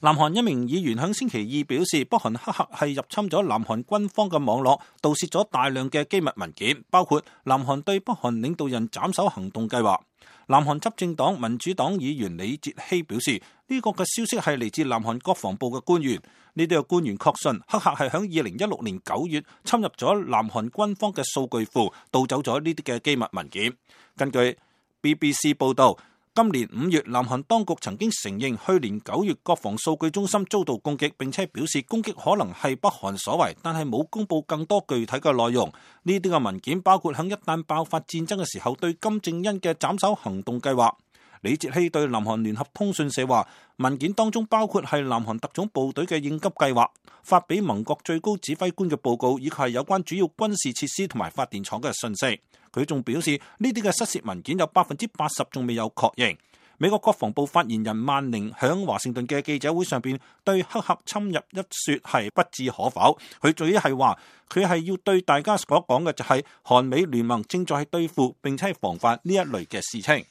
南韓一名議員喺星期二表示，北韓黑客係入侵咗南韓軍方嘅網絡，盜竊咗大量嘅機密文件，包括南韓對北韓領導人斬首行動計劃。南韓執政黨民主黨議員李哲希表示，呢個嘅消息係嚟自南韓國防部嘅官員。呢啲嘅官員確信黑客係喺2016年9月侵入咗南韓軍方嘅數據庫，盜走咗呢啲嘅機密文件。根據 BBC 報道，今年5月，南韓當局曾經承認去年9月國防數據中心遭到攻擊，並且表示攻擊可能係北韓所為，但係冇公布更多具體嘅內容。呢啲嘅文件包括喺一旦爆發戰爭嘅時候對金正恩嘅斬首行動計劃。李哲希對南韓聯合通訊社話，文件當中包括係南韓特種部隊嘅應急計劃、發俾盟國最高指揮官嘅報告，以及係有關主要軍事設施同埋發電廠嘅信息。佢仲表示，呢啲嘅失竊文件有80%仲未有確認。美國國防部發言人萬寧響華盛頓嘅記者會上邊對黑客侵入一說係不置可否。佢最係話，佢係要對大家所講嘅就係韓美聯盟正在對付並且係防範呢一類嘅事情。